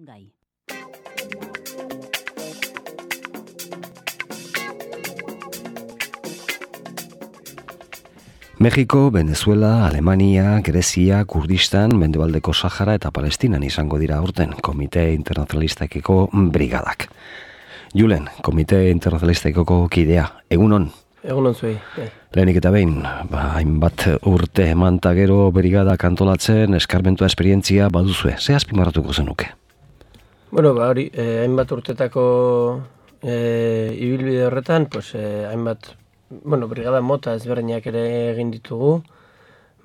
gai. Mexiko, Venezuela, Alemania, Grezia, Kurdistan, Mendebaldeko Sahara eta Palestinan izango dira aurten Komite Internazionalistakiko brigadak. Julen, Komite Internazionalistakiko kidea, egunon? Egunon zuei. Lehenik eta behin, hainbat urte eman ta gero brigadak antolatzen, eskarmentua esperientzia baduzue. Ze azpimarratuko zenuke? Bueno, hori, hainbat urtetako ibilbide horretan, hainbat brigada mota ezberdinak ere egin ditugu,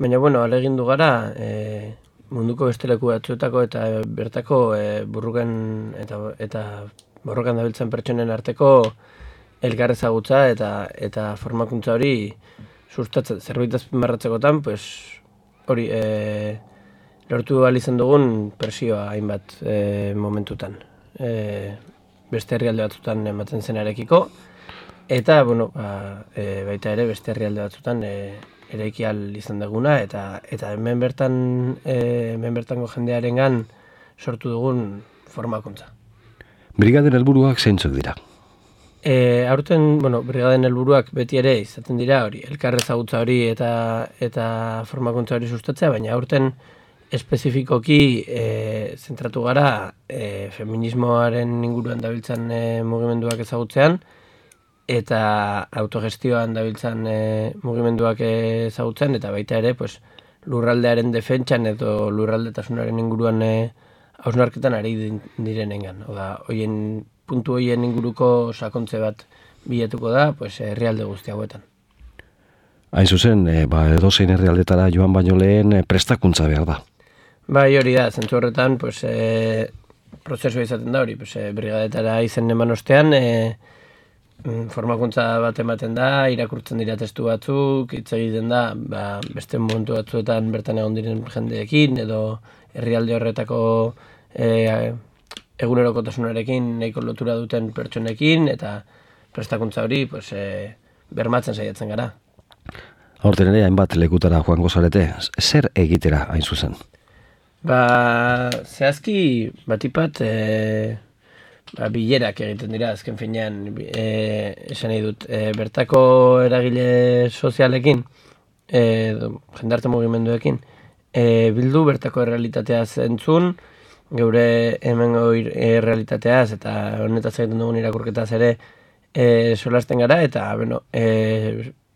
baina, ahalegindu gara munduko beste leku batzuetako eta bertako burruken eta borrokan dabiltzen pertsonen arteko elkar ezagutza eta formakuntza hori sustatzen. Zerbait azpimarratzekotan, hori lortu ahal izan dugun presioa hainbat momentutan. Beste herrialde batzutan ematen zenarekiko, eta, baita ere beste herrialde batzutan eraiki ahal izan duguna, eta hemen bertango jendearengan sortu dugun formakuntza. Brigaden helburuak zeintzuk dira? Aurten, brigaden helburuak beti ere izaten dira hori, elkar ezagutza hori eta formakuntza hori sustatzea, baina aurten espezifikoki zentratu gara feminismoaren inguruan dabiltzan mugimenduak ezagutzean, eta autogestioan dabiltzan mugimenduak ezagutzen, eta baita ere lurraldearen defentsan edo lurraldetasunaren inguruan hausnarketan ari direnengan. Oda, puntu hoien inguruko sakontze bat bilatuko da herrialde guzti hauetan. Hain zuzen, edozein herrialdetara joan baino lehen prestakuntza behar da. Bai, hori da, zentzu horretan prozesua izaten da hori, brigadetara izen eman ostean, formakuntza bat ematen da, irakurtzen dira testu batzuk, hitz egiten da, beste momentu batzuetan bertan egon diren jendeekin, edo herrialde horretako egunerokotasunarekin nahiko lotura duten pertsonekin, eta prestakuntza hori bermatzen saiatzen gara. Aurten ere, hainbat lekutara joango zarete, zer egitera hain zuzen? Zehazki batipat bilerak egiten dira, azken finean, esan nahi dut, bertako eragile sozialekin, jendarte mugimenduekin, bildu bertako errealitatea zentzun, geure hemengo errealitateaz eta honetaz egiten dugun irakurketaz ere solasten gara, eta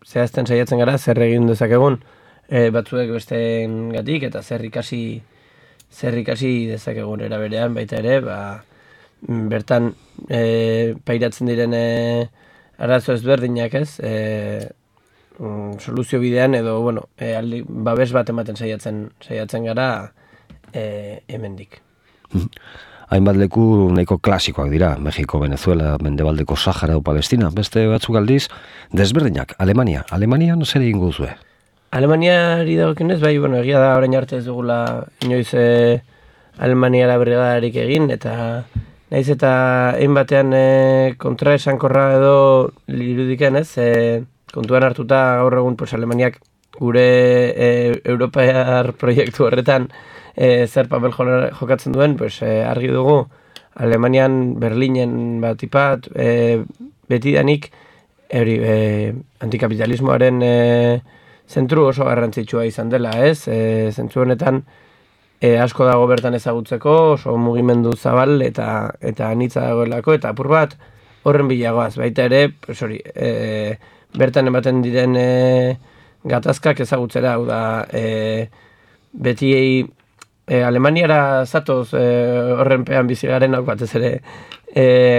zehazten saiatzen gara zer egin dezakegun batzuek besteengatik eta zer ikasi dezakegun eraberean baita ere, bertan pairatzen diren arazo ezberdinak soluzio bidean edo babes bat ematen saiatzen gara hemendik. Hainbat leku nahiko klasikoak dira, Mexiko, Venezuela, Mendebaldeko Sahara o Palestina, beste batzuk aldiz desberdinak. Alemanian zer egingo duzue? Alemaniari dagokionez, egia da orain arte ez dugula inoiz Alemaniara brigadarik egin, eta naiz eta hainbatean kontraesankorra edo irudiken kontuan hartuta gaur egun Alemaniak gure europear proiektu horretan zer papel jokatzen duen, argi dugu Alemanian, Berlinen batipat, betidanik antikapitalismoaren zentru oso garrantzitsua izan dela, zentzu honetan asko dago bertan ezagutzeko, oso mugimendu zabal eta anitza dagoelako, eta apur bat horren bilagoaz, baita ere, bertan ematen diren gatazkak ezagutzera, hau da, beti Alemaniara zatoz horren pean bizigaren batez ere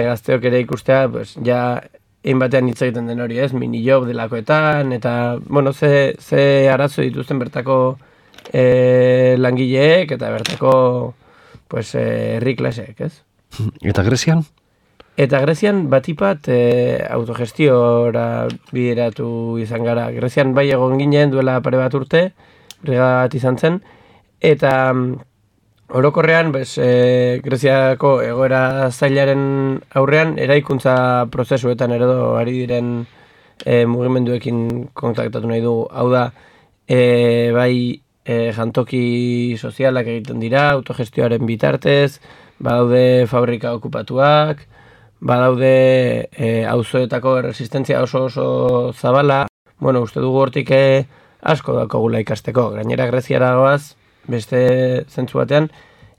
gazteok ere ikustea, ja egin batean hitz egiten den hori mini job delakoetan, eta, ze arazo dituzten bertako langileek eta bertako herri klaseek, Eta Grezian? Eta Grezian batipat autogestiora bideratu izan gara. Grezian bai egon ginen duela pare bat urte, brigada bat izan zen, eta orokorrean Greziako egoera zailaren aurrean eraikuntza prozesuetan eredo ari diren mugimenduekin kontaktatu nahi du. Hau da, jantoki sozialak egiten dira, autogestioaren bitartez, badaude fabrika okupatuak, badaude auzoetako erresistentzia oso zabala. Bueno, uste dugu hortik asko dakogula ikasteko. Gainera Greziara goaz, beste zentzu batean,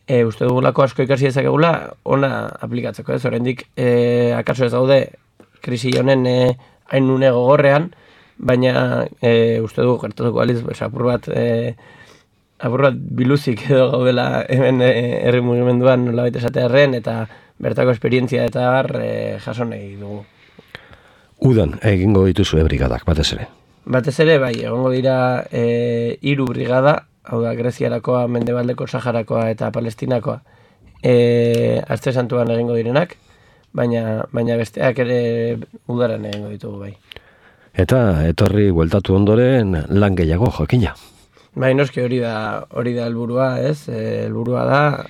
uste dugulako asko ikasi dezakegula ona aplikatzeko, ez? Oraindik akaso ez gaude krisi honen hain une gogorrean, baina uste dugu gertatuko aliz, apur bat biluzik edo gaudela hemen herri mugimenduan nolabait esatearren, eta bertako esperientzia eta jaso nahi dugu. Udan egingo dituzu brigadak, batez ere? Batez ere, bai, egongo dira 3 brigada, hau da, Greziarakoa, Mendebaldeko Saharakoa eta Palestinakoa, Aste Santuan egingo direnak, baina besteak ere udaran egingo ditugu, bai. Eta etorri bueltatu ondoren lan gehiago jakina. Bai, noski hori da helburua, ez? Helburua da,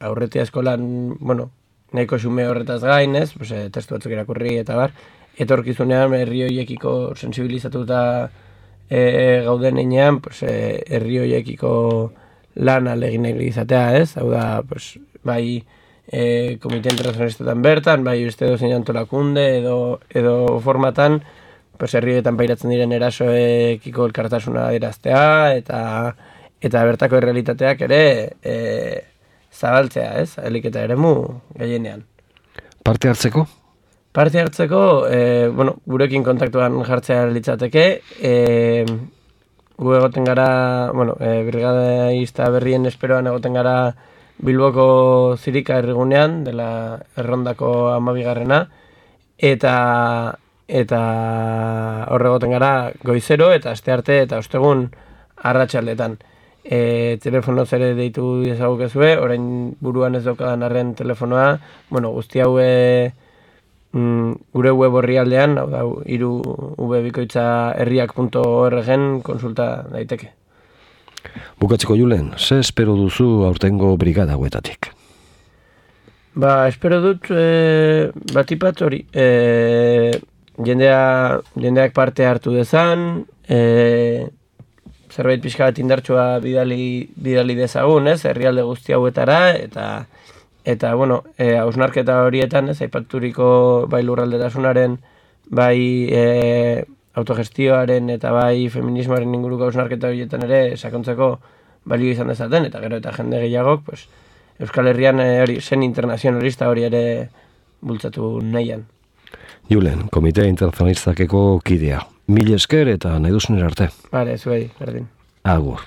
aurretia eskolan, bueno, nahiko xume horretaz gain, ez? Pues, testu batzuk irakurri eta bar, etorkizunean herri horiekiko sensibilizatuta gauden heinean, pues, herri horiekiko lan alegin izatea, ez? Hau da, pues, bai, komite internazionalistetan bertan, bai, beste dozein antolakunde edo formatan, pues, herrietan pairatzen diren erasoekiko elkartasuna adieraztea eta bertako errealitateak ere zabaltzea, ez? Ahalik eta eremu gehienean. Parte hartzeko? Parte hartzeko, bueno, gurekin kontaktuan jartzea litzateke, gu egoten gara, bueno, brigadista berrien esperoan egoten gara Bilboko Zirika herrigunean, dela Errondako 12garrena, eta horre egoten gara goizero eta astearte eta ostegun arratsaldetan. Telefono zere deitu dezagukezue, orain buruan ez daukadan arren telefonoa, bueno, guzti hau gure web orrialdean, hau da, 3vbikoitzaherriak.org-en konsulta daiteke. Bukatzeko Julen, ze espero duzu aurtengo brigada hauetatik? Espero dut batipat hori, jendeak parte hartu dezan, zerbait pixka bat indartsua bidali dezagun, ez, herrialde guzti hauetara, eta bueno, hausnarketa horietan, ez, aipaturiko bai lurraldetasunaren, bai autogestioaren eta bai feminismoaren inguruko hausnarketa horietan ere sakontzeko balio izan dezaten, eta gero eta jende gehiagok, pues, Euskal Herrian zen internazionalista hori ere bultzatu nahian. Julen, Komite Internazionalistakeko kidea. Mil esker eta nahi duzunera arte. Bale, zuei, berdin. Agur.